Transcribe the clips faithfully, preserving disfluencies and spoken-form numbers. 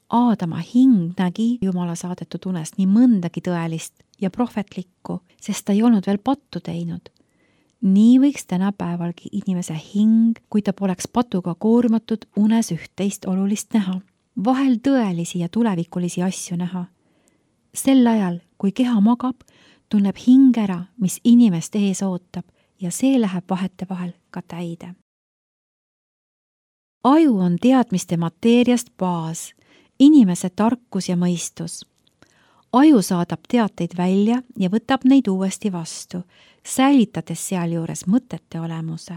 Aadama hing nägi Jumala saadetud unes nii mõndagi tõelist ja prohvetlikku, sest ta ei olnud veel pattu teinud. Nii võiks tänapäevalgi inimese hing, kui ta poleks patuga koormatud, unes üht-teist olulist näha. Vahel tõelisi ja tulevikulisi asju näha. Sel ajal, kui keha magab, tunneb hing ära, mis inimest ees ootab ja see läheb vahetevahel ka täide. Aju on teadmiste mateeriast baas, inimese tarkus ja mõistus. Aju saadab teateid välja ja võtab neid uuesti vastu, säilitades sealjuures mõtete olemuse.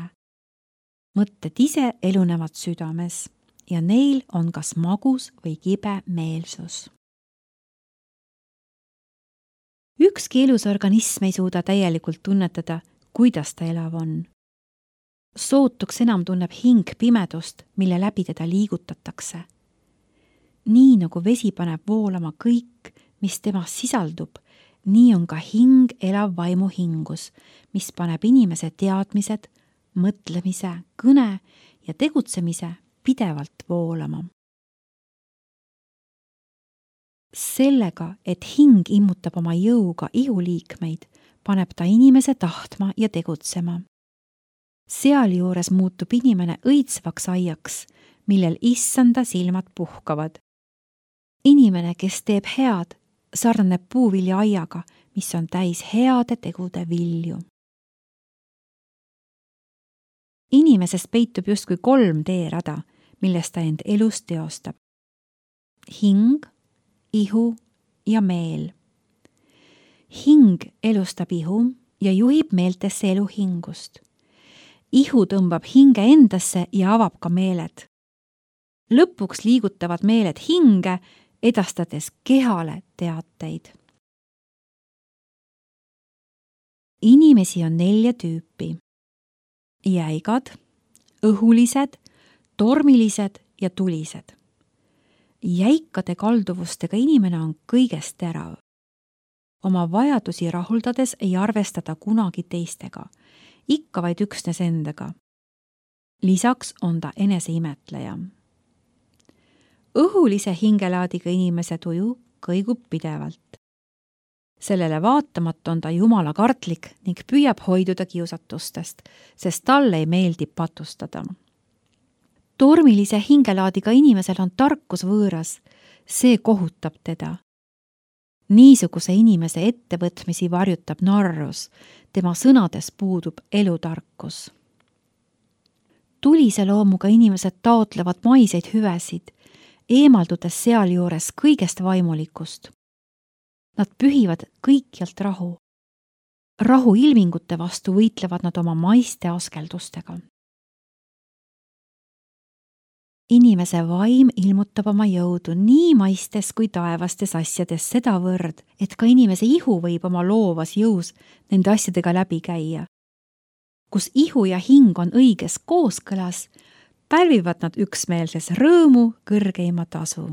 Mõtted ise elunevad südames ja neil on kas magus või kibe meelsus. Ükski elus organism ei suuda täielikult tunnetada, kuidas ta elav on. Sootuks enam tunneb hing pimedust, mille läbi teda liigutatakse. Nii nagu vesi paneb voolama kõik, mis temas sisaldub, nii on ka hing elav vaimu hingus, mis paneb inimese teadmised, mõtlemise, kõne ja tegutsemise pidevalt voolama. Sellega, et hing immutab oma jõuga ihuliikmeid, paneb ta inimese tahtma ja tegutsema. Sealjuures muutub inimene õitsvaks aiaks, millel issanda silmad puhkavad. Inimene, kes teeb head, sarnaneb puuvilja aiaga, mis on täis heade tegude vilju. Inimesest peitub justkui kolm teerada, millest ta end elus teostab. Hing, ihu ja meel. Hing elustab ihu ja juhib meeltesse elu hingust. Ihu tõmbab hinge endasse ja avab ka meeled. Lõpuks liigutavad meeled hinge, edastades kehale teateid. Inimesi on nelja tüüpi. Jäigad, õhulised, tormilised ja tulised. Jäikade kalduvustega inimene on kõigest terav. Oma vajadusi rahuldades ei arvestada kunagi teistega, ikka vaid üksnes endaga. Lisaks on ta eneseimetleja. Õhulise hingelaadiga inimese tuju kõigub pidevalt. Sellele vaatamata on ta jumala kartlik ning püüab hoiduda kiusatustest, sest talle ei meeldi patustada. Tormilise hingelaadiga inimesel on tarkus võõras, see kohutab teda. Niisuguse inimese ettevõtmisi varjutab narrus, tema sõnades puudub elutarkus. Tulise loomuga inimesed taotlevad maiseid hüvesid, eemaldudes sealjuures kõigest vaimulikust. Nad pühivad kõikjalt rahu. Rahu ilmingute vastu võitlevad nad oma maiste askeldustega. Inimese vaim ilmutab oma jõudu nii maistes kui taevastes asjades sedavõrd, et ka inimese ihu võib oma loovas jõus nende asjadega läbi käia. Kus ihu ja hing on õiges kooskõlas, pälvivad nad üksmeelses rõõmu kõrgeima tasu.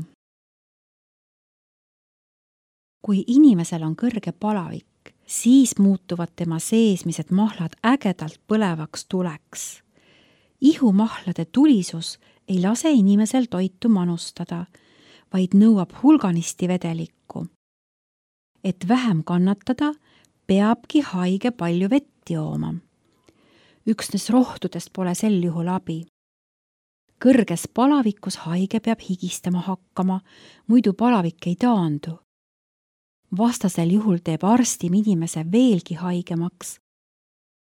Kui inimesel on kõrge palavik, siis muutuvad tema seesmised mahlad ägedalt põlevaks tuleks. Ihumahlade tulisus ei lase inimesel toitu manustada, vaid nõuab hulganisti vedelikku. Et vähem kannatada, peabki haige palju vett jooma. Üksnes rohtudest pole sel juhul abi. Kõrges palavikus haige peab higistama hakkama, muidu palavik ei taandu. Vastasel juhul teeb arstim inimese veelgi haigemaks.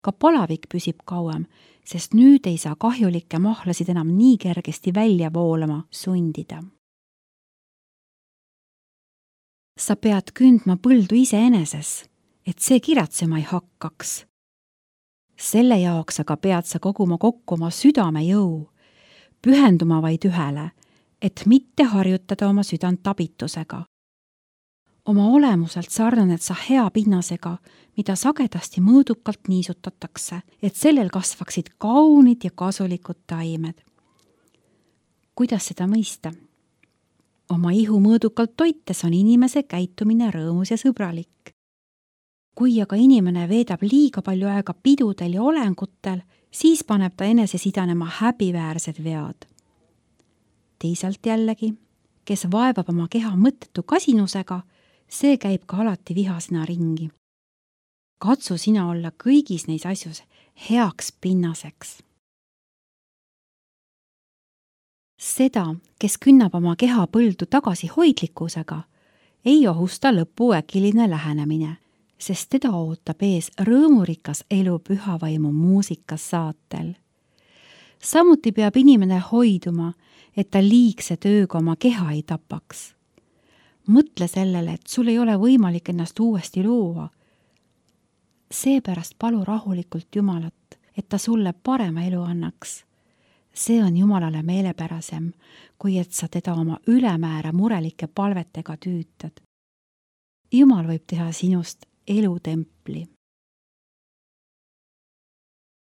Ka palavik püsib kauem, sest nüüd ei saa kahjulikke mahlasid enam nii kergesti välja voolama sundida. Sa pead kündma põldu iseeneses, et see kiratsema ei hakkaks. Selle jaoks aga pead sa koguma kokku oma südame jõu, pühenduma vaid ühele, et mitte harjutada oma südant abitusega. Oma olemuselt sarnaned sa hea pinnasega, mida sagedasti mõõdukalt niisutatakse, et sellel kasvaksid kaunid ja kasulikud taimed. Kuidas seda mõista? Oma ihu mõõdukalt toites on inimese käitumine rõõmus ja sõbralik. Kui aga inimene veedab liiga palju aega pidudel ja olengutel, siis paneb ta enese sidanema häbiväärsed vead. Teisalt jällegi, kes vaevab oma keha mõttetu kasinusega, see käib ka alati vihasena ringi. Katsu sina olla kõigis neis asjus heaks pinnaseks. Seda, kes künnab oma keha põldu tagasi hoidlikkusega, ei ohusta lõpu äkiline lähenemine, sest teda ootab ees rõõmurikas elu pühavaimu muusikas saatel. Samuti peab inimene hoiduma, et ta liigse tööga oma keha ei tapaks. Mõtle sellele, et sul ei ole võimalik ennast uuesti luua. Seepärast palu rahulikult Jumalat, et ta sulle parema elu annaks. See on Jumalale meelepärasem, kui et sa teda oma ülemäära murelike palvetega tüütad. Jumal võib teha sinust elutempli.